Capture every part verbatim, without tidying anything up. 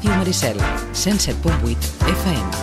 Ràdio Maricel, cent set punt vuit F M.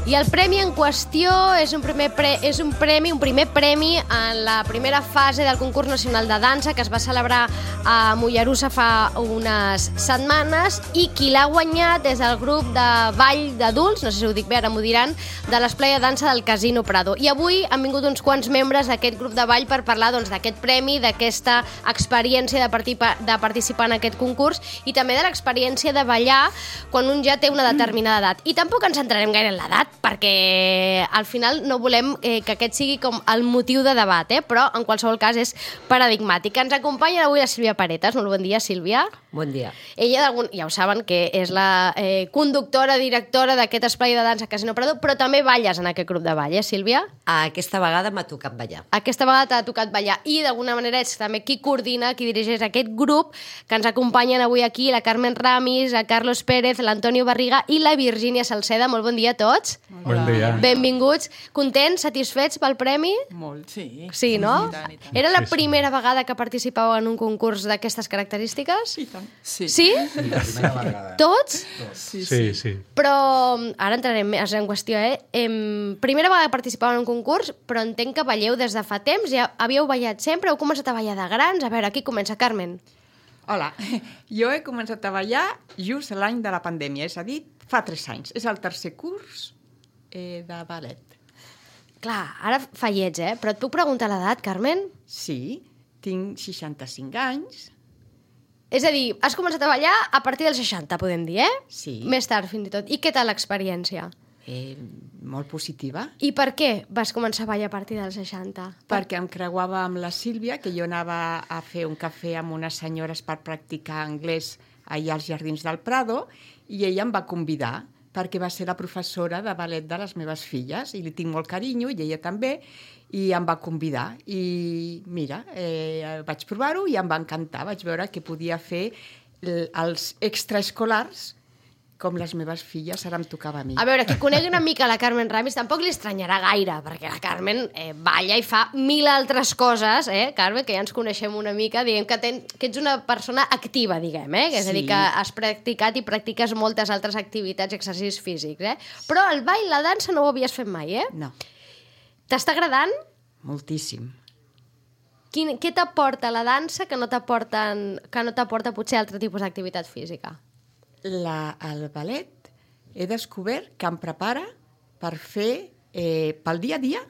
I el premi en qüestió és un, primer pre és un premi, un primer premi en la primera fase del concurs nacional de dansa que es va celebrar a Mollerussa fa unes setmanes i qui l'ha guanyat és el grup de ball d'adults, no sé si ho dic bé, ara m'ho diran, de l'Esplai de Dansa del Casino Prado. I avui han vingut uns quants membres d'aquest grup de ball per parlar doncs, d'aquest premi, d'aquesta experiència de, participar, de participar en aquest concurs i també de l'experiència de ballar quan un ja té una determinada edat. I tampoc ens centrarem gaire en l'edat, perquè al final no volem eh, que aquest sigui com el motiu de debat, eh? Però en qualsevol cas és paradigmàtic. Ens acompanya avui la Sílvia Paretas. Molt bon dia, Sílvia. Bon dia. Ella, ja ho saben, que és la eh, conductora, directora d'aquest esplai de dansa Casino Prado, però també balles en aquest grup de ball, eh, Sílvia? Aquesta vegada m'ha tocat ballar. Aquesta vegada t'ha tocat ballar i d'alguna manera és també qui coordina, qui dirigeix aquest grup que ens acompanyen avui aquí, la Carmen Ramis, la Carlos Pérez, l'Antonio Barriga i la Virgínia Salceda. Molt bon dia a tots. Bon dia. Benvinguts. Contents, satisfets pel premi? Molt, sí. Sí, no? I tant, i tant. Era la Sí, sí. primera vegada que participàveu en un concurs d'aquestes característiques? I tant. Sí. Sí? La primera vegada. Tots? Sí, Sí, sí. Però ara entrarem més en qüestió, eh? Em, primera vegada que participàveu en un concurs, però entenc que balleu des de fa temps. Ja havíeu ballat sempre? Heu començat a ballar de grans? A veure, aquí comença, Carmen. Hola, jo he començat a ballar just l'any de la pandèmia, és a dir, fa tres anys. És el tercer curs eh, de ballet. Clar, ara fa lleig, eh? Però et puc preguntar l'edat, Carmen? Sí, tinc seixanta-cinc anys. És a dir, has començat a ballar a partir dels seixanta, podem dir, eh? Sí. Més tard, fins i tot. I què tal l'experiència? Eh, molt positiva, I per què vas començar a ballar a partir dels seixanta? perquè em creuava amb la Sílvia, que jo anava a fer un cafè amb unes senyores per practicar anglès allà als Jardins del Prado, i ella em va convidar, perquè va ser la professora de ballet de les meves filles, i li tinc molt carinyo, i ella també, i em va convidar. I mira, eh, vaig provar-ho i em va encantar. Vaig veure que podia fer l- els extraescolars com les meves filles, ara em tocava a mi. A veure, qui conegui una mica la Carmen Ramis tampoc li estranyarà gaire, perquè la Carmen eh, balla i fa mil altres coses, eh, Carmen, que ja ens coneixem una mica, diguem que, ten, que ets una persona activa, diguem, eh? Que és a dir, Sí. que has practicat i practiques moltes altres activitats i exercicis físics, eh? Però el ball, la dansa no ho havies fet mai, eh? No, T'està agradant? moltíssim. Quin, què t'aporta la dansa que no t'aporten, que no t'aporta potser altre tipus d'activitat física? La, el ballet he descobert que em prepara per fer eh, pel dia a dia,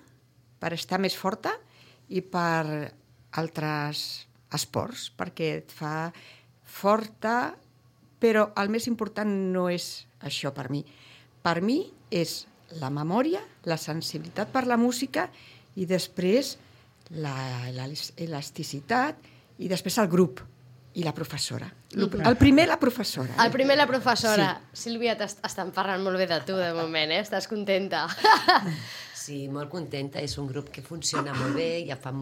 per estar més forta i per altres esports, perquè et fa forta, però el més important no és això per mi. Per mi és la memòria, la sensibilitat per la música i després la, la elasticitat i després el grup i la professora. El primer, la professora. El primer, la professora. Sí. Sílvia, t'estan parlant molt bé de tu, de moment, eh? Estàs contenta? Sí, molt contenta. És un grup que funciona molt bé. Ja, fa,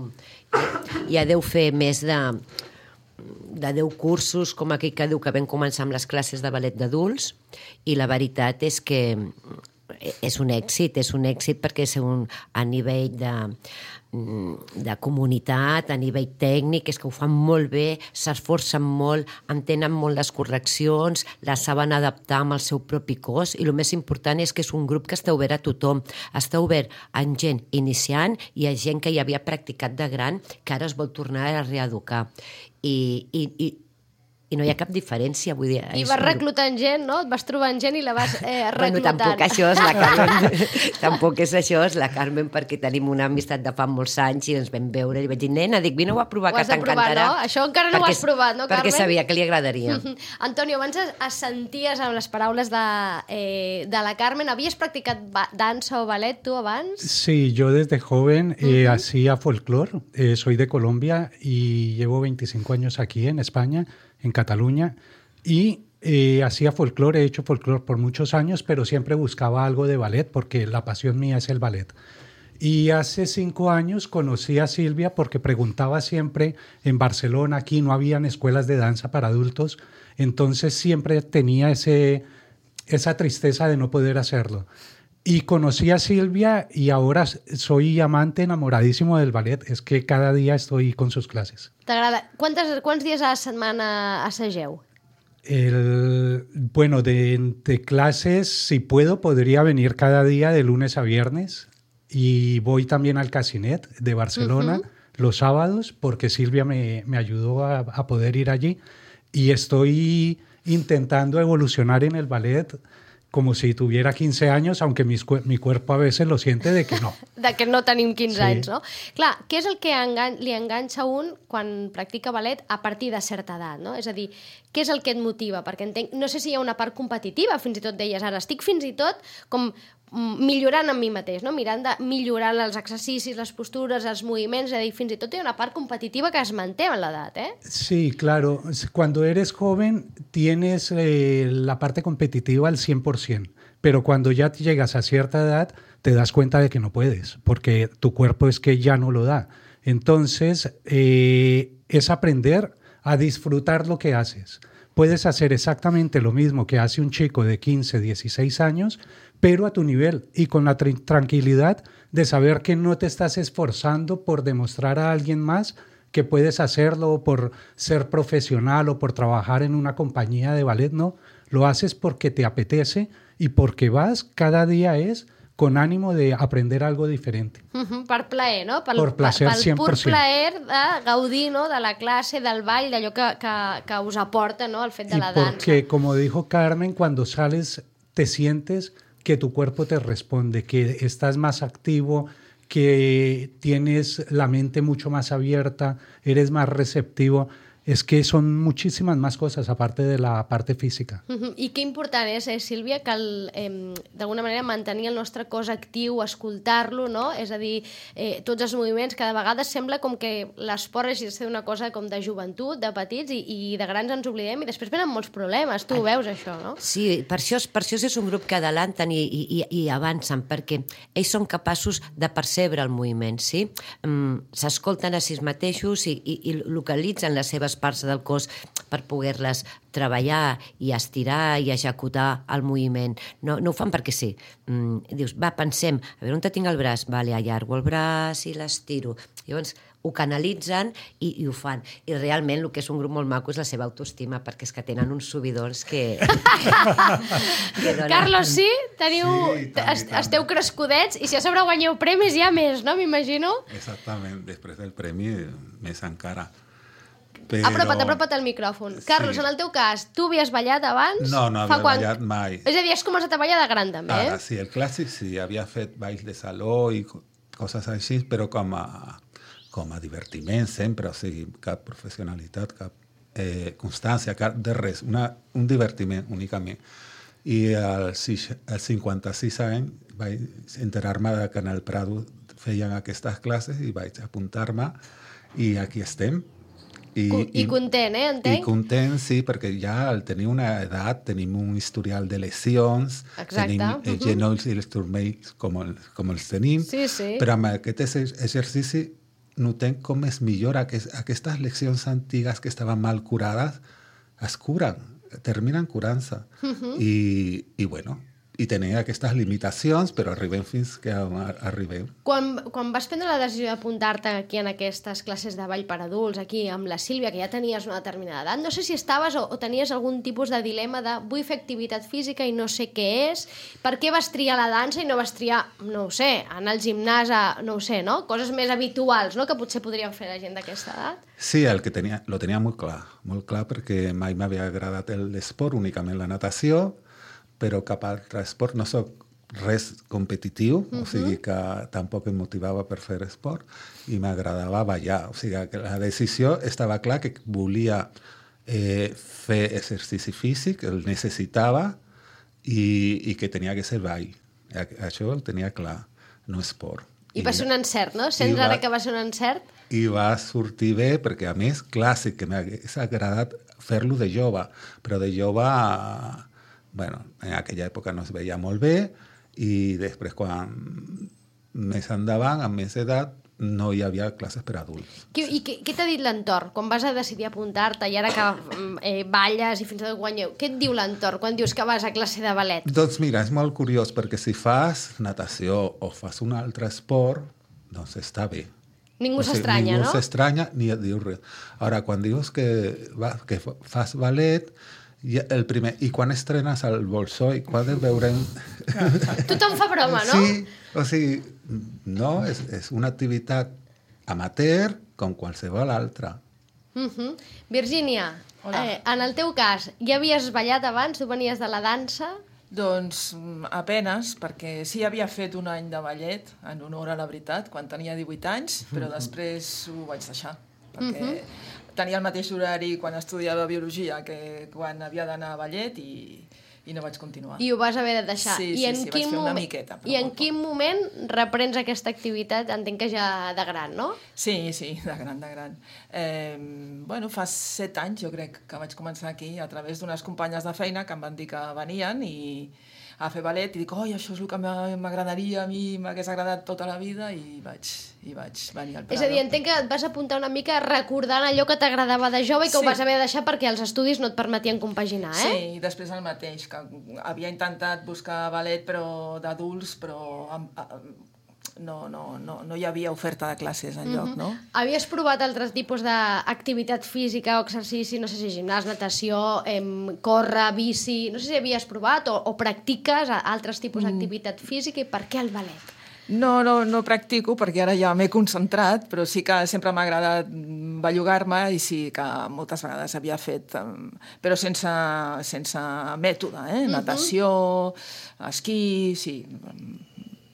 ja, ja deu fer més de, de deu cursos, com aquell que diu que vam començar amb les classes de ballet d'adults, i la veritat és que és un èxit, és un èxit perquè és un, a nivell de, de comunitat, a nivell tècnic, és que ho fan molt bé, s'esforcen molt, entenen molt les correccions, les saben adaptar amb el seu propi cos, i el més important és que és un grup que està obert a tothom, està obert a gent iniciant i a gent que ja havia practicat de gran, que ara es vol tornar a reeducar. I, i, i I no hi ha cap diferència, vull dir... I vas reclutant gent, no? Et vas trobant gent i la vas eh, reclutant. Bueno, tampoc això és la Carmen. Tampoc és això, és la Carmen, perquè tenim una amistat de fa molts anys i ens vam veure i li vaig dir, nena, dic, vine-ho a provar, Ho que has de provar, t'encantarà. no? Això encara no ho Perquè- has provat, no, Carmen? Perquè sabia que li agradaria. Antonio, abans es- es senties amb les paraules de, eh, de la Carmen. Havies practicat ba- dansa o ballet tu abans? Sí, yo desde joven eh, hacía folclore. Eh, soy de Colombia y llevo veinticinco años aquí en España, en Cataluña. Y eh, hacía folclore, he hecho folclore por muchos años, pero siempre buscaba algo de ballet porque la pasión mía es el ballet. Y hace cinco años conocí a Silvia porque preguntaba siempre en Barcelona, aquí no habían escuelas de danza para adultos, entonces siempre tenía ese, esa tristeza de no poder hacerlo. Y conocí a Silvia y ahora soy amante enamoradísimo del ballet, es que cada día estoy con sus clases. T'agrada? Quantes, quants dies a la setmana assageu? El, bueno, de, de clases, si puedo, podría venir cada día de lunes a viernes. Y voy también al Casinet de Barcelona uh-huh. los sábados, porque Silvia me, me ayudó a, a poder ir allí. Y estoy intentando evolucionar en el ballet como si tuviera quince años, aunque mis, mi cuerpo a veces lo siente de que no. De que no tenim quinze sí. anys, no? Clar, què és el que engan li enganxa un quan practica ballet a partir de certa edat, no? És a dir, què és el que et motiva? Perquè entenc, no sé si hi ha una part competitiva, fins i tot deies ara, estic fins i tot com millorant en mi mateix, no? Mirant de millorar els exercicis, les postures, els moviments, és a dir, fins i tot hi ha una part competitiva que es manté en l'edat, ¿eh? Sí, claro. Cuando eres joven tienes eh, la parte competitiva al cien por ciento, pero cuando ya llegas a cierta edad te das cuenta de que no puedes, porque tu cuerpo es que ya no lo da. Entonces, eh, es aprender a disfrutar lo que haces. Puedes hacer exactamente lo mismo que hace un chico de quince, dieciséis años, pero a tu nivel y con la tra- tranquilidad de saber que no te estás esforzando por demostrar a alguien más que puedes hacerlo, o por ser profesional o por trabajar en una compañía de ballet, no. Lo haces porque te apetece y porque vas cada día es con ánimo de aprender algo diferente. Uh-huh, per plaer, no? Pel, per placer, pel cent per cent. pur plaer de gaudir, no? De la classe, del ball, d'allò que, que, que us aporta, no? El fet de y la dansa. Porque, como dijo Carmen, cuando sales te sientes que tu cuerpo te responde, que estás más activo, que tienes la mente mucho más abierta, eres más receptivo. Es que son muchísimas más cosas aparte de la parte física. Uh-huh. I que important és, eh, Sílvia, que el, eh, d'alguna manera mantenir el nostre cos actiu, escoltar-lo, no? És a dir, eh, tots els moviments, cada vegada sembla com que l'esport hagi de ser una cosa com de joventut, de petits, i, i de grans ens oblidem, i després venen molts problemes. Tu ho veus, això, no? Sí, per això, per això és un grup que adelanten i, i, i avancen, perquè ells són capaços de percebre el moviment, sí? Um, s'escolten a si mateixos i, i, i localitzen les seves parts del cos per poder-les treballar i estirar i executar el moviment. No, no ho fan perquè sí. Mm, dius, va, pensem, a veure on te tinc el braç? Vale, allargo el braç i l'estiro. Llavors, ho canalitzen i, i ho fan. I realment el que és un grup molt maco és la seva autoestima, perquè és que tenen uns subidors que... que donen... Carlos, sí? Teniu... Sí, tant, est tant. Esteu crescudets i si a sobre guanyeu premis hi ha més, no? M'imagino. Exactament, després del premi més encara. Però... Apropa't, apropa't al micròfon. Carlos, Sí. en el teu cas, tu havies ballat abans? No, no Fa havia quan- ballat mai. És a dir, has començat a ballar de gran, també, eh? Ara, sí, el clàssic sí, havia fet balls de saló i co- coses així, però com a, com a divertiment sempre, o sigui, cap professionalitat, cap eh, constància, cap de res, una, un divertiment únicament. I als als cinquanta-sis anys vaig enterar-me que en el Prado feien aquestes classes i vaig apuntar-me i aquí estem. I, I content, eh, entenc? I content, sí, perquè ja al tenir una edat tenim un historial de lesions, Exacte. tenim els Mhm. genolls i els turmells com, el, com els tenim, Sí, sí. però amb aquest exer- exercici notem com es millora, que aquestes lesions antigues que estaven mal curades es curen, terminen curant-se. Mhm. I, I, bueno, i tenia aquestes limitacions, però arribem fins que a- arribem. Quan, quan vas prendre la decisió d'apuntar-te aquí en aquestes classes de ball per adults, aquí amb la Sílvia, que ja tenies una determinada edat, no sé si estaves o, o tenies algun tipus de dilema de vull fer activitat física i no sé què és, per què vas triar la dansa i no vas triar, no ho sé, anar al gimnàs, a, no ho sé, no? Coses més habituals, no?, que potser podrien fer la gent d'aquesta edat. Sí, el que tenia, lo tenia molt clar, molt clar perquè mai m'havia agradat l'esport, únicament la natació, però cap altre esport, no soc res competitiu, uh-huh. o sigui que tampoc em motivava per fer esport i m'agradava ballar. O sigui que la decisió estava clar que volia eh, fer exercici físic, el necessitava i, i que tenia que ser ball. Això el tenia clar, no esport. I va ser un encert, no? Sents va- ara que va ser un encert? I va sortir bé perquè, a més, clàssic, que m'hagués agradat fer-lo de jove, però de jove, bueno, en aquella època no es veia molt bé i després, quan més endavant, amb més edat, no hi havia classes per adults. Qui, I què, què t'ha dit l'entorn? Quan vas a decidir apuntar-te i ara que eh, balles i fins i tot guanyeu, què et diu l'entorn quan dius que vas a classe de ballet? Doncs mira, és molt curiós perquè si fas natació o fas un altre esport, doncs està bé. Ningú O sigui, s'estranya, ningú no? s'estranya ni et diu res. Ara, quan dius que, va, que fas ballet, I, el primer, I quan estrenes el Bolshoi, quan el veurem... Tothom fa broma, no? Sí, o sigui, no, és, és una activitat amateur com qualsevol altra. Uh-huh. Virgínia, eh, en el teu cas, ja havies ballat abans? Tu venies de la dansa? Doncs apenes, perquè sí havia fet un any de ballet, en honor a la veritat, quan tenia divuit anys, però després ho vaig deixar, perquè uh-huh. tenia el mateix horari quan estudiava biologia que quan havia d'anar a ballet i, i no vaig continuar. I ho vas haver de deixar. Sí, I sí, en sí, quin vaig fer una moment... miqueta. I en quin moment reprens aquesta activitat? Entenc que ja de gran, no? Sí, sí, de gran, de gran. Eh, bueno, fa set anys jo crec que vaig començar aquí a través d'unes companyes de feina que em van dir que venien i a fer ballet i dic, oi, això és el que m'agradaria, a mi m'hagués agradat tota la vida i vaig, i vaig venir al Prado. És a dir, entenc que et vas apuntar una mica recordant allò que t'agradava de jove i que sí. ho vas haver de deixar perquè els estudis no et permetien compaginar, eh? Sí, i després el mateix, que havia intentat buscar ballet però d'adults, però amb, amb, no, no, no, no hi havia oferta de classes enlloc, no? Havies provat altres tipus d'activitat física o exercici, no sé si gimnàs, natació, em, córrer, bici... No sé si havies provat o, o practiques altres tipus d'activitat física i per què el ballet? No, no, no practico perquè ara ja m'he concentrat, però sí que sempre m'ha agradat bellugar-me i sí que moltes vegades havia fet, però sense, sense mètode, eh? Natació, esquí, sí...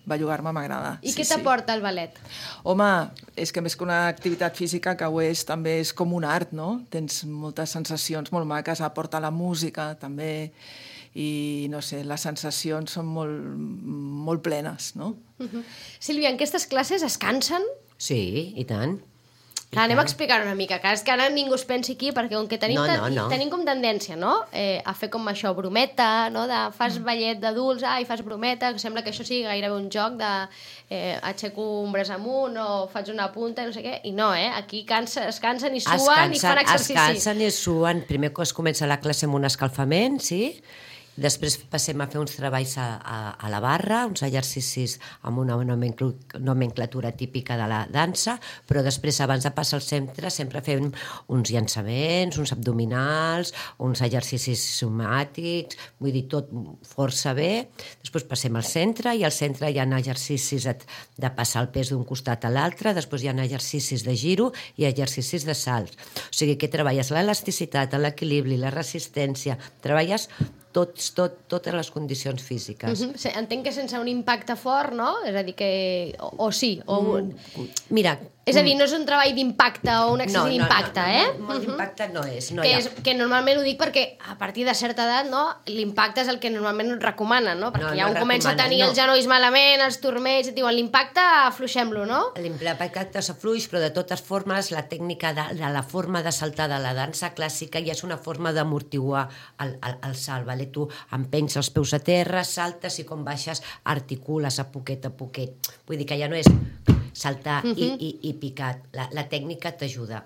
bellugar-me m'agrada. I sí, què t'aporta sí. el ballet? Home, és que més que una activitat física que ho és, també és com un art, no? Tens moltes sensacions molt maques, aporta la música també i no sé, les sensacions són molt, molt plenes, no? Uh-huh. Sílvia, en aquestes classes es cansen? Sí, i tant. Clar, anem a explicar una mica, que és que ara ningú es pensi aquí, perquè com que tenim, no, no, no. tenim com tendència, no?, eh, a fer com això, brometa, no?, de fas ballet d'adults, ai, fas brometa, que sembla que això sigui gairebé un joc de eh, aixeco un braç amunt o faig una punta, no sé què, i no, eh, aquí cansa, es cansen i suen es cansen, i fan exercici. Es cansen i suen, primer que es comença la classe amb un escalfament, sí?, després passem a fer uns treballs a, a, a la barra, uns exercicis amb una nomenclatura típica de la dansa, però després, abans de passar al centre, sempre fem uns llançaments, uns abdominals, uns exercicis somàtics, vull dir, tot força bé. Després passem al centre, i al centre hi ha exercicis de passar el pes d'un costat a l'altre, després hi ha exercicis de giro i exercicis de salts. O sigui que treballes l'elasticitat, l'equilibri, la resistència, treballes tots, tot, totes les condicions físiques. Uh-huh. Sí, entenc que sense un impacte fort, no? És a dir, que... O, o sí, o... Mm, mira... És a dir, no és un treball d'impacte o un excés no, no, d'impacte, no, no, eh? No, molt d'impacte no és. No que, ha... és que normalment ho dic perquè a partir de certa edat, no, l'impacte és el que normalment et recomanen, no? Perquè no, ja no un comença a tenir no. els genolls malament, els turmells, et diuen l'impacte, afluixem-lo, no? L'impacte s'afluix, però de totes formes la tècnica de, de la forma de saltar de la dansa clàssica ja és una forma d'amortiguar el, el, el salt, vale? Tu empenys els peus a terra, saltes i com baixes articules a poquet a poquet. Vull dir que ja no és saltar uh-huh. i, i, i picat. La, la tècnica t'ajuda.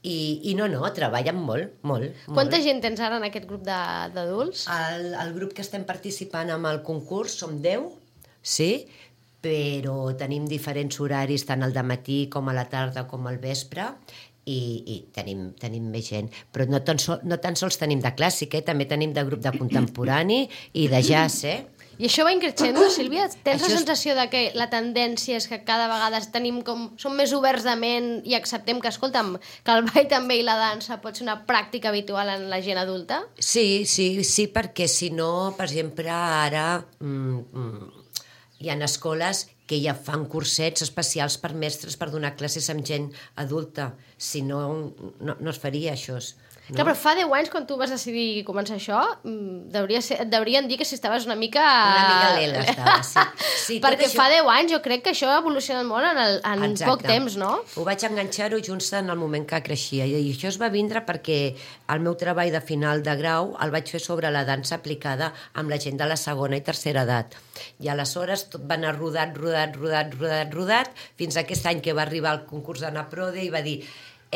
I, I no, no, treballen molt, molt. Quanta molt. gent tens ara en aquest grup d'adults? El, el grup que estem participant amb el concurs som deu, sí, però tenim diferents horaris, tant al dematí com a la tarda com al vespre, i, i tenim, tenim més gent. Però no tan, sol, no tan sols tenim de clàssic, eh? També tenim de grup de contemporani i de jazz, eh? I això va increixendo, Sílvia? Tens això la sensació de que la tendència és que cada vegada tenim com... som més oberts de ment i acceptem que, escolta'm, que el ball també i la dansa pot ser una pràctica habitual en la gent adulta? Sí, sí, sí, perquè si no, per exemple, ara mm, mm, hi ha escoles que ja fan cursets especials per mestres per donar classes amb gent adulta. Si no, no, no es faria això. No? Clar, però fa deu anys, quan tu vas decidir començar això, deuria ser, et deurien dir que si estaves una mica... Una mica lela estava, sí. sí Perquè això... fa deu anys jo crec que això ha evolucionat molt en, el, en poc temps, no? Ho vaig enganxar-ho just en el moment que creixia, i això es va vindre perquè el meu treball de final de grau el vaig fer sobre la dansa aplicada amb la gent de la segona i tercera edat. I aleshores tot va anar rodat, rodat, rodat, rodat, rodat, fins a aquest any que va arribar al concurs d'Anna Prode i va dir...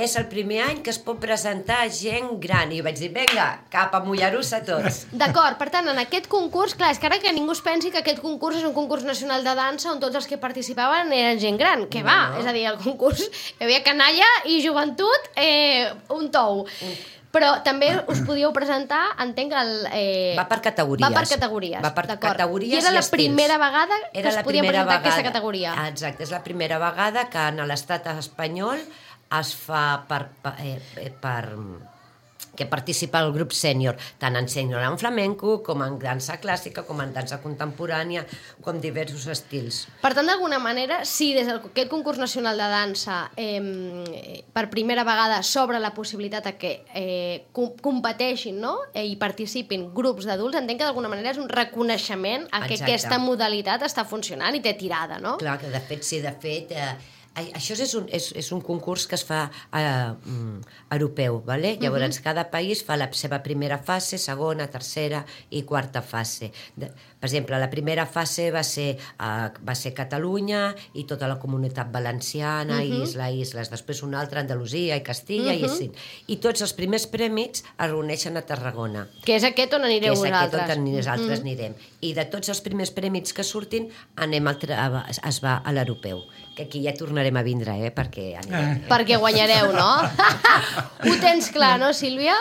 és el primer any que es pot presentar gent gran. I vaig dir, vinga, cap a Mollerussa tots. D'acord, per tant, en aquest concurs, clar, és que ara que ningú es pensi que aquest concurs és un concurs nacional de dansa on tots els que participaven eren gent gran. Què va? No. És a dir, el concurs hi havia canalla i joventut, eh, un tou. Però també us podíeu presentar, entenc, el... Eh... Va per categories. Va per categories, Va per d'acord. categories I era i la estils. primera vegada que Era es la podia primera presentar vegada. aquesta categoria. Exacte, és la primera vegada que en l'estat espanyol es fa per... per, eh, per que participa el grup sènior, tant en sènior en flamenco, com en dansa clàssica, com en dansa contemporània, com diversos estils. Per tant, d'alguna manera, si des d'aquest concurs nacional de dansa eh, per primera vegada s'obre la possibilitat de que eh, com competeixin, no? eh, i participin grups d'adults, entenc que d'alguna manera és un reconeixement a que Exacte. aquesta modalitat està funcionant i té tirada, no? Clar, que de fet, sí, de fet... Eh, això és un, és, és un concurs que es fa eh, europeu, ¿vale? Llavors uh-huh. cada país fa la seva primera fase, segona, tercera i quarta fase. De, per exemple, la primera fase va ser, eh, va ser Catalunya i tota la comunitat valenciana, uh-huh. isla, isles, després una altra, Andalusia i Castilla, uh-huh. i així. I tots els primers prèmits es reuneixen a Tarragona. Que és aquest on anireu vosaltres. Que és vosaltres. aquest on nosaltres uh-huh. anirem. I de tots els primers prèmits que surtin, anem al es va a l'europeu. Que aquí ja tornarem a vindre, eh? Perquè anirem. Eh? Perquè guanyareu, no? Ho tens clar, no, Sílvia?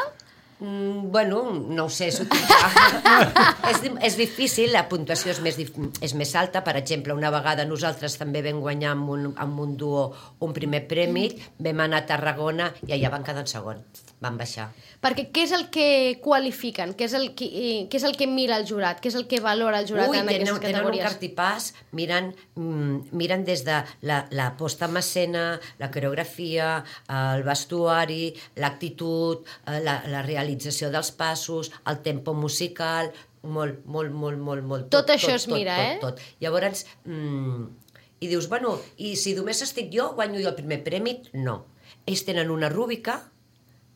Mm, bueno, no ho sé, s'ho tinc clar. és, és difícil, la puntuació és més, és més alta. Per exemple, una vegada nosaltres també vam guanyar amb un, amb un duo un primer premi, vam anar a Tarragona i allà van quedar en segon, van baixar. Perquè què és el que qualifiquen? Què és el que, què és el que mira el jurat? Què és el que valora el jurat Ui, en tenen, aquestes categories? tenen un cartipàs, miren, mm, miren des de la, la posta en escena, la coreografia, el vestuari, l'actitud, la, la realització dels passos, el tempo musical, molt, molt, molt, molt, molt. Tot, tot això es mira, tot, eh? Tot, tot. Llavors, mm, i dius, bueno, i si només estic jo, guanyo jo el primer premi? No. Ells tenen una rúbrica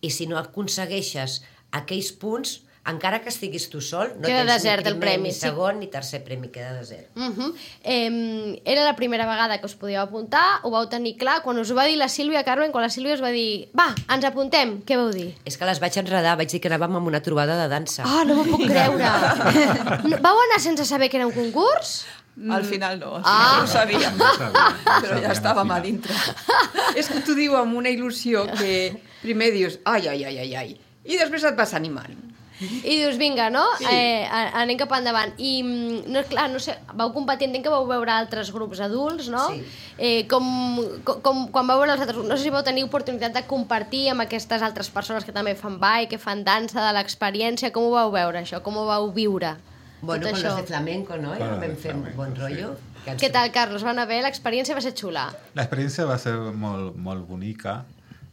i si no aconsegueixes aquells punts, encara que estiguis tu sol, no queda tens desert ni el primer, premi, ni sí. segon, ni tercer premi, queda desert. Uh -huh. eh, era la primera vegada que us podíeu apuntar, ho vau tenir clar, quan us ho va dir la Sílvia, Carmen, quan la Sílvia us va dir, va, ens apuntem, què vau dir? És que les vaig enredar, vaig dir que anàvem amb una trobada de dansa. Ah, oh, no m'ho puc creure. No, vau anar sense saber que era un concurs? Al final no, al final Ah. no ho sabíem, No sabíem, no però ja sabíem estàvem al a final. dintre. És que t'ho diu amb una il·lusió que primer dius, ai, ai, ai, ai, ai, i després et vas animant. I dius, vinga, no? Sí. Eh, anem cap endavant. I, no, clar, no sé, vau competir, entenc que vau veure altres grups adults, no? Sí. Eh, com, com, com quan vau veure els altres grups, no sé si vau tenir oportunitat de compartir amb aquestes altres persones que també fan ball, que fan dansa, de l'experiència, com ho vau veure, això? Com ho vau viure? Bueno, tot con això. los de flamenco, ¿no? Ja Con los de vam fer un flamenco, bon sí. rotllo. Que ens- Què tal, Carlos? Van a ver? L'experiència va ser xula. L'experiència va ser molt, molt bonica.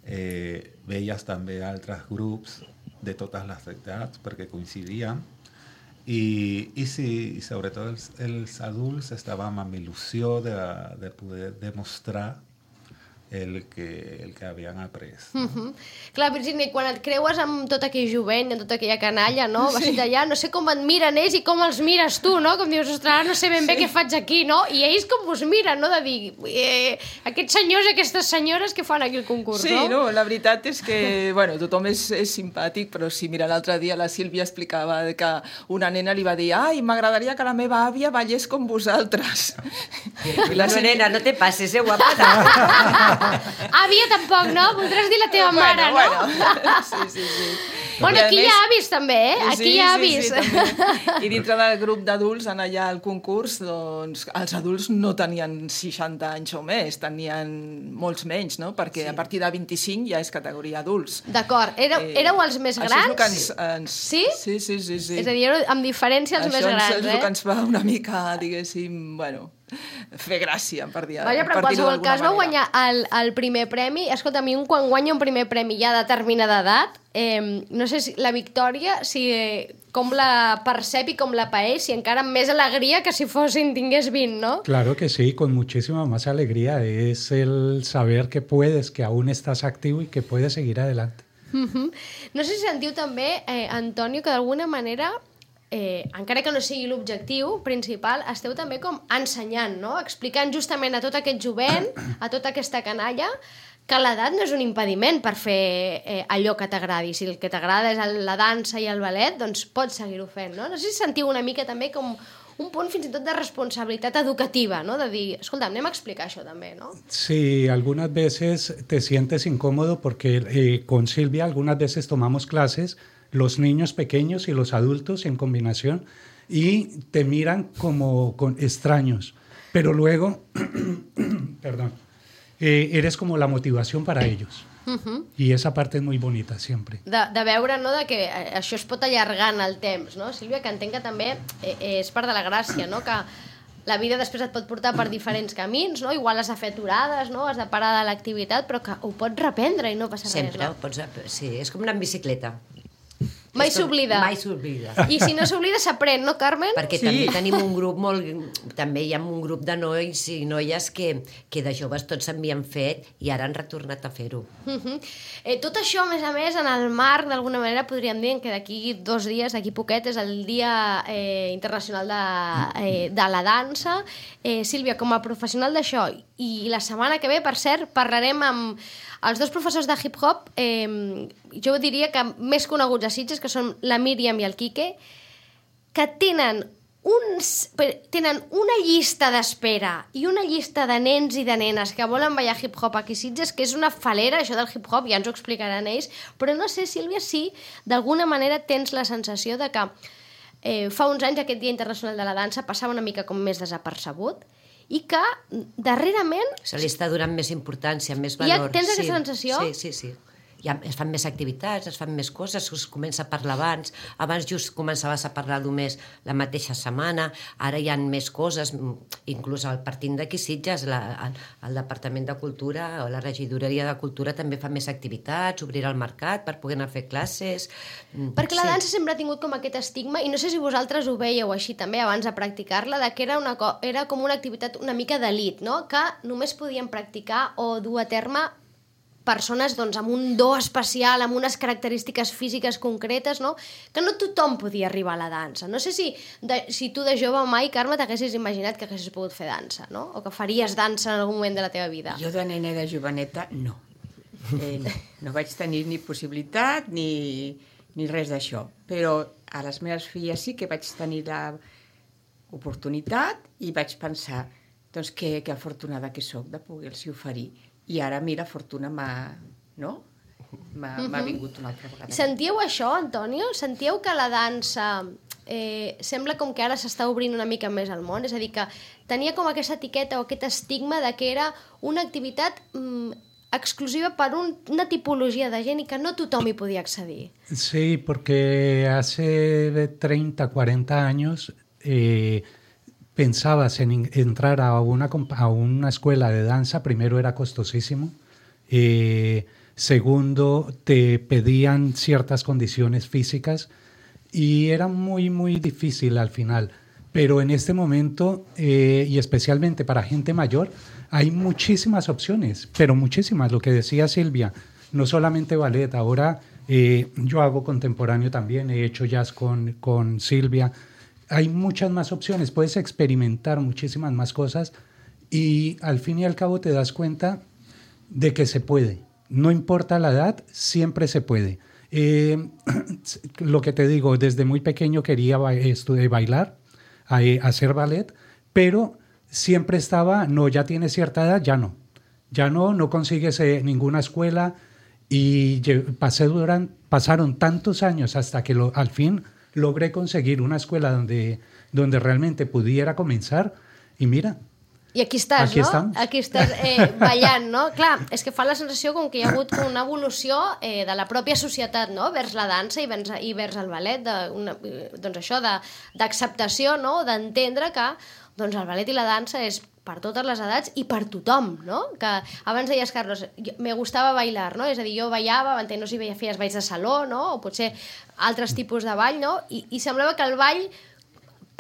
Eh, veies també altres grups de totes les edats perquè coincidien. I, i sí, i sobretot els, els adults estàvem amb il·lusió de, de poder demostrar el que, el que havien après. No? Uh -huh. Clar, Virginia, quan et creues amb tot aquell jovent, amb tota aquella canalla, no? Vas sí. allà, no sé com et miren ells i com els mires tu, no? Com dius, ostres, no sé ben bé sí. què faig aquí, no? I ells com us miren, no? De dir, eh, aquests senyors i aquestes senyores que fan aquí el concurs, Sí, no? no, la veritat és que, bueno, tothom és, és simpàtic, però sí, mira, l'altre dia la Sílvia explicava que una nena li va dir, ai, m'agradaria que la meva àvia ballés com vosaltres. I la no, nena, no te passes, eh, guapa. Àvia tampoc, no? Voldràs dir la teva bueno, mare, no? Bueno, sí, sí, sí. Bueno, I a aquí hi més- ha avis també, eh? Aquí Sí, hi ha sí, avis. sí, també. I dintre del grup d'adults, en allà al concurs, doncs, els adults no tenien seixanta anys o més, tenien molts menys, no? Perquè sí. a partir de vint-i-cinc ja és categoria adults. D'acord, éreu, éreu els més Això grans? és el que ens, ens... Sí? Sí, sí, sí, sí. És a dir, éreu amb diferència els Això més grans, és eh? el que ens fa una mica, diguéssim, bueno, fer gràcia, per dir Vaja, però en per dir-ho qualsevol d'alguna cas vau manera. guanyar el, el primer premi. Escolta, a mi un quan guanya un primer premi ja de determinada edat, eh, no sé si la victòria, si, eh, com la percep i com la paeix, si encara amb més alegria que si fossin, tingués vint, no? Claro que sí, con muchísima más alegría. Es el saber que puedes, que aún estás activo y que puedes seguir adelante. Uh-huh. No sé si sentiu també, eh, Antonio, que d'alguna manera, eh, encara que no sigui l'objectiu principal, esteu també com ensenyant, no? Explicant justament a tot aquest jovent, a tota aquesta canalla, que l'edat no és un impediment per fer eh, allò que t'agradi. Si el que t'agrada és el, la dansa i el ballet, doncs pots seguir-ho fent, no? No sé si sentiu una mica també com un punt fins i tot de responsabilitat educativa, no? De dir, escolta, anem a explicar això també, no? Sí, algunas veces te sientes incómodo porque eh, con Silvia algunas veces tomamos clases, los niños pequeños y los adultos en combinación, y te miran como con extraños, pero luego, perdón, eh, eres como la motivación para ellos. Uh-huh. I esa part és molt bonita, sempre. De, de veure, no?, de que això es pot allargar en el temps, no? Sílvia, que entenc que també és part de la gràcia, no?, que la vida després et pot portar per diferents camins, no? Igual has de fer aturades, no?, has de parar de l'activitat, però que ho pots reprendre i no passa sempre, res, no? Sempre, pots... sí, és com anar en bicicleta. Mai s'oblida. Mai s'oblida. I si no s'oblida, s'aprèn, no, Carmen? Perquè sí. També tenim un grup molt... També hi ha un grup de nois i noies que, que de joves tots s'havien fet i ara han retornat a fer-ho. Uh-huh. eh, tot això, a més a més, en el marc, d'alguna manera, podríem dir que d'aquí dos dies, d'aquí poquet, és el Dia eh, Internacional de, eh, de la Dansa. Eh, Sílvia, com a professional d'això, i la setmana que ve, per cert, parlarem amb els dos professors de hip-hop, eh, jo diria que més coneguts a Sitges, que són la Míriam i el Quique, que tenen, uns, tenen una llista d'espera i una llista de nens i de nenes que volen ballar hip-hop aquí a Sitges, que és una falera, això del hip-hop, ja ens ho explicaran ells, però no sé, Sílvia, si d'alguna manera tens la sensació de que eh, fa uns anys aquest Dia Internacional de la Dansa passava una mica com més desapercebut, i que darrerament... Se li està donant més importància, més valor. Ja tens aquesta sí, sensació? Sí, sí, sí. Ja es fan més activitats, es fan més coses, es comença a parlar abans. Abans just començaves a parlar només la mateixa setmana, ara hi ha més coses, inclús al partint d'aquí Sitges, la, el, el Departament de Cultura o la Regidoria de Cultura també fa més activitats, obrirà el mercat per poder anar a fer classes... Perquè la dansa sempre ha tingut com aquest estigma, i no sé si vosaltres ho veieu així també abans de practicar-la, de que era, una, era com una activitat una mica d'elit, no? Que només podien practicar o dur a terme persones doncs, amb un do especial, amb unes característiques físiques concretes, no? Que no tothom podia arribar a la dansa. No sé si, de, si tu de jove mai, Carme, t'haguessis imaginat que haguessis pogut fer dansa, no? O que faries dansa en algun moment de la teva vida. Jo de nena de joveneta, no. Eh, no. No vaig tenir ni possibilitat ni, ni res d'això. Però a les meves filles sí que vaig tenir l'oportunitat i vaig pensar doncs, que, que afortunada que sóc de poder-los oferir. I ara, mira, fortuna m'ha... no? M'ha uh-huh. vingut una altra vegada. Sentíeu això, Antonio? Sentíeu que la dansa eh, sembla com que ara s'està obrint una mica més al món? És a dir, que tenia com aquesta etiqueta o aquest estigma de que era una activitat mm, exclusiva per un, una tipologia de gent i que no tothom hi podia accedir. Sí, porque hace treinta, cuarenta años... Eh, pensabas en entrar a una, a una escuela de danza, primero era costosísimo, eh, segundo te pedían ciertas condiciones físicas y era muy, muy difícil al final. Pero en este momento, eh, y especialmente para gente mayor, hay muchísimas opciones, pero muchísimas. Lo que decía Silvia, no solamente ballet, ahora eh, yo hago contemporáneo también, he hecho jazz con, con Silvia. Hay muchas más opciones, puedes experimentar muchísimas más cosas y al fin y al cabo te das cuenta de que se puede. No importa la edad, siempre se puede. Eh, lo que te digo, desde muy pequeño quería ba- estudiar, bailar, a, eh, hacer ballet, pero siempre estaba, no, ya tienes cierta edad, ya no. Ya no, no consigues eh, ninguna escuela y lle- pasé durante, pasaron tantos años hasta que lo, al fin... logré conseguir una escuela donde, donde realmente pudiera comenzar y mira, I aquí estàs, aquí no? Estamos. Aquí estàs eh, ballant, no? Clar, és que fa la sensació com que hi ha hagut una evolució eh, de la pròpia societat, no?, vers la dansa i vers, i vers el ballet, de, una, doncs això, d'acceptació, no?, d'entendre que doncs el ballet i la dansa és per totes les edats i per tothom, no? Que abans deies, Carlos, me gustava bailar, no? És a dir, jo ballava, no sé si feies balls de saló, no? O potser altres tipus de ball, no? I, i semblava que el ball,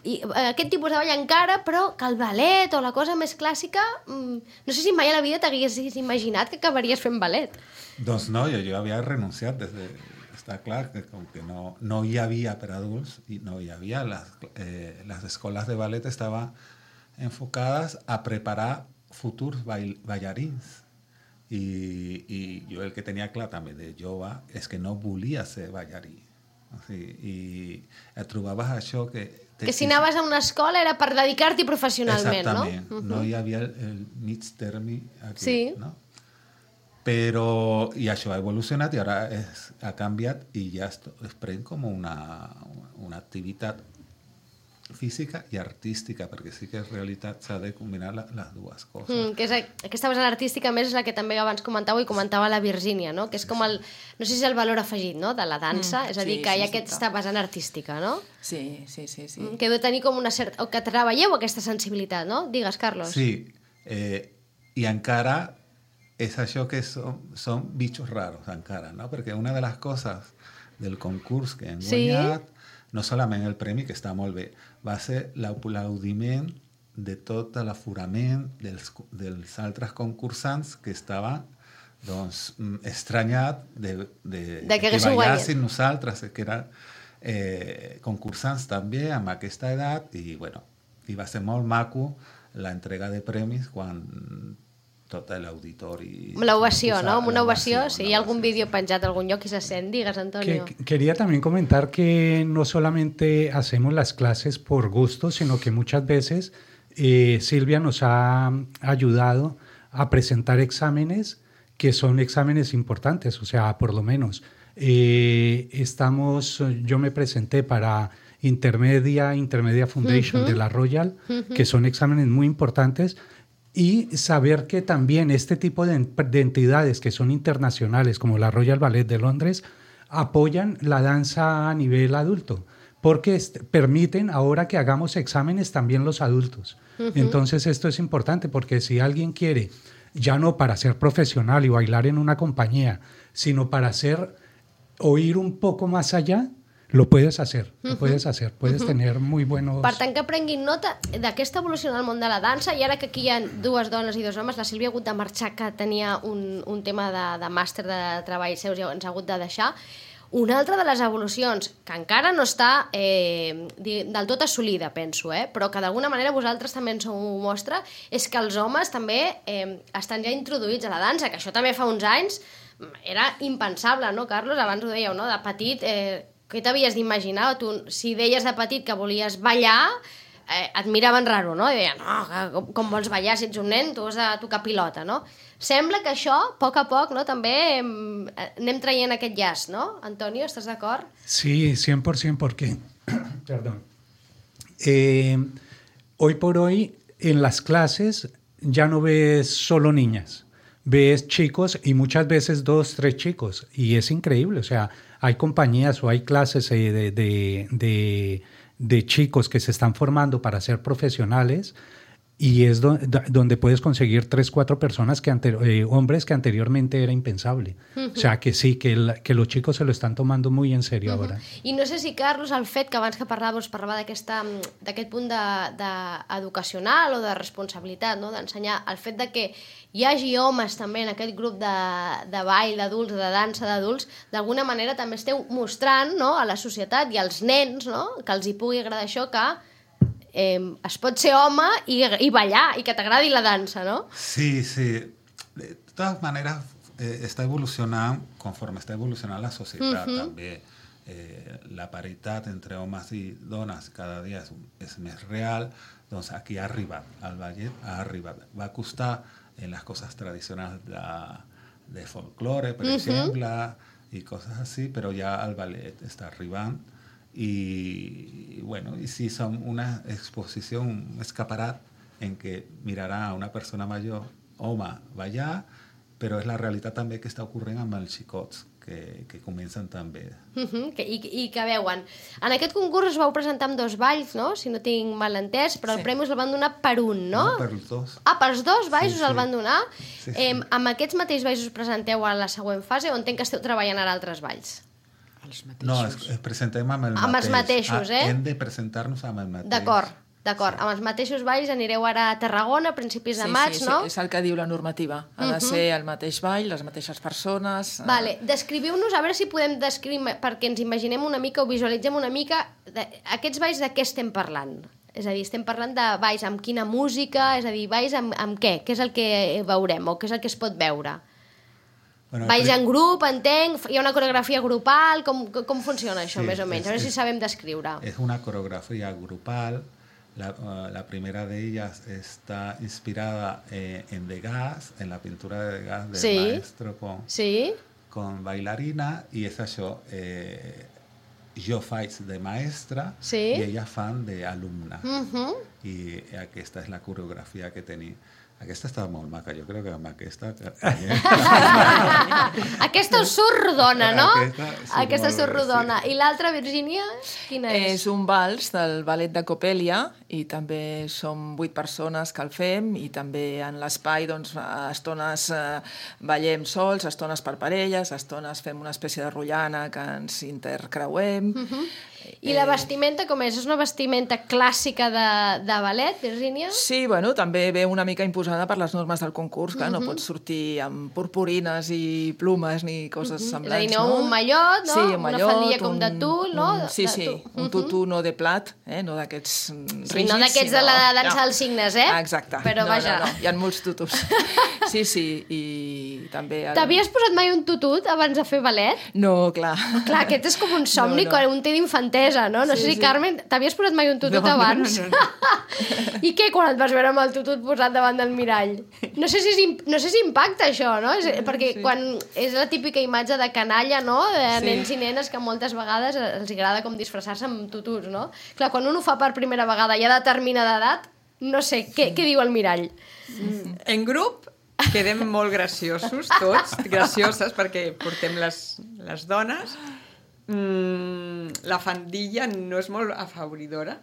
i aquest tipus de ball encara, però que el ballet o la cosa més clàssica, mmm, no sé si mai a la vida t'haguessis imaginat que acabaries fent ballet. Doncs no, jo, jo havia renunciat des de... Està clar que com que no, no hi havia per adults i no hi havia, les, eh, les escoles de ballet estaven enfocades a preparar futurs bail, ballarins. I, I jo el que tenia clar també de jove és que no volia ser ballarí. O sigui, i et trobaves això que Que si anaves a una escola era per dedicar-t'hi professionalment, Exactament. no? No hi havia el, el mig termi aquí, Sí. no? Però, i això ha evolucionat i ara és, ha canviat i ja es, es pren com una, una activitat física i artística, perquè sí que en realitat s'ha de combinar la, les dues coses. Mm, que és, aquesta vessant artística, a més, és la que també abans comentàveu i comentava la Virgínia, no? Que és com el, no sé si és el valor afegit, no?, de la dansa, Mm, és a dir, sí, que hi ha sí, sí, aquesta vessant artística, no? Sí, sí, sí, sí. Mm, Que heu de tenir com una certa... O que treballeu aquesta sensibilitat, no? Digues, Carlos. Sí, eh, i encara és això que són, són bitxos raros, encara, no? Perquè una de les coses del concurs que hem Sí. guanyat, no solament el premi, que està molt bé, va ser l'aplaudiment de tot l'aforament dels, dels altres concursants que estaven doncs, mm, estranyat de, de, De que que haguéssiu ballessin guanyat. nosaltres, que eren eh, concursants també amb aquesta edat, i bueno, i va ser molt maco l'entrega de premis quan tot l'auditori... L'ovació, ¿no? Una l'ovació, ovació, si hi ha algún vídeo penjat a algún lloc que se sent, digues, Antonio. Que- quería también comentar que no solamente hacemos las clases por gusto, sino que muchas veces eh, Silvia nos ha ayudado a presentar exámenes que son exámenes importantes, o sea, por lo menos. Eh, estamos, yo me presenté para Intermedia, Intermedia Foundation de la Royal, que son exámenes muy importantes, y saber que también este tipo de, de entidades que son internacionales, como la Royal Ballet de Londres, apoyan la danza a nivel adulto, porque est- permiten ahora que hagamos exámenes también los adultos. Entonces esto es importante, porque si alguien quiere, ya no para ser profesional y bailar en una compañía, sino para hacer, o ir un poco más allá, lo puedes hacer, lo puedes hacer, puedes tener muy buenos... Per tant, que prenguin nota d'aquesta evolució en el món de la dansa, i ara que aquí hi ha dues dones i dos homes, la Sílvia ha hagut de marxar, que tenia un, un tema de, de màster de treball seus i ens ha hagut de deixar. Una altra de les evolucions, que encara no està eh, del tot assolida, penso, eh, però que d'alguna manera vosaltres també ens ho mostra, és que els homes també eh, estan ja introduïts a la dansa, que això també fa uns anys era impensable, no, Carlos? Abans ho dèieu, no? De petit... Eh, què t'havies d'imaginar? Tu, si deies de petit que volies ballar, eh, et miraven raro, no? I deien, no, com, com vols ballar si ets un nen? Tu has de tocar pilota, no? Sembla que això, a poc a poc, no, també em, anem traient aquest llaç, no? Antonio, estàs d'acord? Sí, cien por ciento, porque, perdón, eh, hoy por hoy en las clases ya no ves solo niñas, ves chicos y muchas veces dos, tres chicos, y es increíble, o sea, hay compañías o hay clases eh, de, de, de, de chicos que se están formando para ser profesionales, y es do, do, donde puedes conseguir tres, cuatro personas, que ante, eh, hombres que anteriormente era impensable. Uh-huh. O sea, que sí, que, el, que los chicos se lo están tomando muy en serio uh-huh. ahora. I no sé si, Carlos, el fet que abans que parlaves parlava d'aquest punt de, de educacional o de responsabilitat, no? D'ensenyar el fet de que hi hagi homes també en aquest grup de, de ball d'adults, de dansa d'adults, d'alguna manera també esteu mostrant, no?, a la societat i als nens, no?, que els hi pugui agradar això, que Eh, es pot ser home i, i ballar, i que t'agradi la dansa, no? Sí, sí. De todas maneras, eh, está evolucionando conforme está evolucionando la sociedad. Uh-huh. També eh, la paritat entre homes i dones cada dia és, és més real. Doncs aquí ha arribat, el ballet ha arribat. Va costar en les coses tradicionals de, de folklore, per uh-huh. exemple, i coses així, però ja el ballet està arribant. Y, y bueno, y sí son una exposición, un escaparat en que mirarà a una persona major, home, ballar, però és la realitat també que està ocorrent amb els xicots, que, que comencen també. Uh -huh, que, i, I que veuen. En aquest concurs us vau presentar amb dos balls, no?, si no tinc mal entès, però sí. El premi us el van donar per un, no? No, per els dos. Ah, pels dos balls sí, us el sí. van donar? Sí, sí. Eh, amb aquests mateixos balls us presenteu a la següent fase, o entenc que esteu treballant ara altres balls? Els No, mateixos. es, es presentem amb el Amb mateix. els mateixos, eh? Ah, hem de presentar-nos amb el mateix. D'acord, d'acord. Amb els mateixos balls anireu ara a Tarragona a principis de sí, maig, sí, no? Sí, és el que diu la normativa. Ha de uh-huh. ser el mateix ball, les mateixes persones... Vale, descriviu-nos, a veure si podem descriure, perquè ens imaginem una mica o visualitzem una mica de, aquests balls de què estem parlant. És a dir, estem parlant de balls amb quina música, és a dir, balls amb, amb què? Què és el que veurem o què és el que es pot veure? Bueno, Balls pri- en grup, entenc, hi ha una coreografia grupal, com, com funciona això, Sí, més o menys? A veure es- si es- sabem descriure. Es una coreografía grupal. La, uh, la primera de ellas está inspirada eh, en Degas, en la pintura de Degas del Sí. maestro con, Sí? con bailarina, y esa yo, eh, yo faig de maestra Sí. y ella fan de alumna. Mhm. I aquesta és la coreografia que tenia. Aquesta estava molt maca, jo crec que amb aquesta... Aquesta us surt rodona, no? Aquesta surt Aquesta molt surt bé, rodona. sí. I l'altra, Virgínia, quina és? És un vals del ballet de Coppelia i també som vuit persones que el fem i també en l'espai doncs, a estones eh, ballem sols, a estones per parelles, a estones fem una espècie de rotllana que ens intercreuem. I la vestimenta com és? És una vestimenta clàssica de, de ballet, Virgínia? Sí, bueno, també ve una mica imposada per les normes del concurs, que no pots sortir amb purpurines i plumes ni coses És a semblants, dir, no, no? un mallot, no? Sí, un Una mallot, faldilla com de tul, no? Un, sí, De sí, tu- un tutú no de plat, eh? no d'aquests rígids. Sí, no d'aquests de la dansa dels signes, eh? Exacte. Però no, vaja. No, no, hi ha molts tutus. Sí, sí, i també... El... T'havies posat mai un tutut abans de fer ballet? No, clar. Clar, aquest és com un somni, No, no. quan un té d'infantesa, no? No Sí, sé si, sí. Carmen, t'havies posat mai un tutut No, no, abans? no, no, I què, quan et vas veure amb el tutut posat davant del mirall? No sé si, és imp- no sé si impacta això, no? És, perquè sí. quan és la típica imatge de canalla, no?, de Sí. nens i nenes que moltes vegades els agrada com disfressar-se amb tututs, no? Clar, quan un ho fa per primera vegada i ha determinada edat, no sé, què, què diu el mirall? En grup quedem molt graciosos tots, gracioses perquè portem les, les dones. Mm, la faldilla no és molt afavoridora,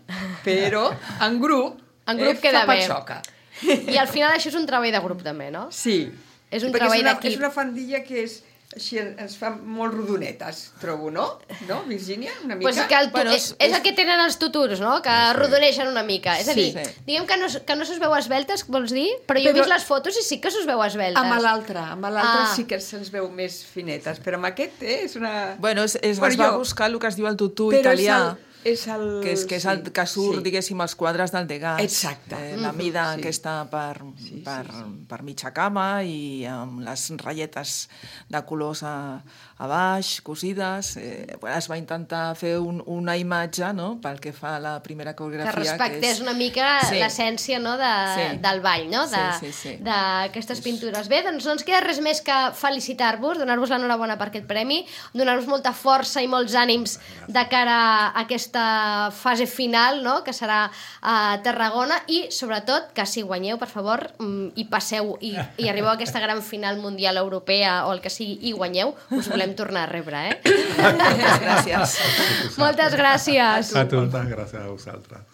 però en grup, En grup eh, queda fa bé. patxoca. I al final això és un treball de grup també, no? Sí. És un Perquè treball és una, d'equip. És una faldilla que és, així ens fa molt rodonetes, trobo, no? No, Virgínia? Una mica? Pues que el tu... Bueno, és, és- és el que tenen els tuturs, no? Que rodoneixen una mica. És a Sí. dir, Sí. diguem que no, que no se'ls veu esveltes, vols dir? Però jo he Però- vist les fotos i sí que se'ls veu esveltes. Amb l'altre, amb l'altre Ah. sí que se'ns veu més finetes, però amb aquest eh, és una... Bueno, es, es, Bueno, es va jo- buscar el que es diu el tutú però italià. És el, és el... Que és, que és el sí, que surt, sí. diguéssim, els quadres del Degas. Exacte. Eh, la mida Sí. aquesta per, Sí, sí, per, sí. per mitja cama i amb les ratlletes de colors a, a baix, cosides. Eh, bueno, es va intentar fer un, una imatge, no?, pel que fa a la primera Que coreografia. respectés és... una mica Sí. l'essència, no, de, Sí. del ball, no? De, Sí, sí, sí. d'aquestes pintures. Bé, doncs no ens queda res més que felicitar-vos, donar-vos l'enhorabona per aquest premi, donar-vos molta força i molts ànims de cara a aquesta fase final, no?, que serà a Tarragona, i sobretot que si guanyeu, per favor, mm, i passeu i, i arribeu a aquesta gran final mundial europea o el que sigui i guanyeu, us volem tornar a rebre, eh? Gràcies. Moltes gràcies. A tu. Moltes gràcies a vosaltres.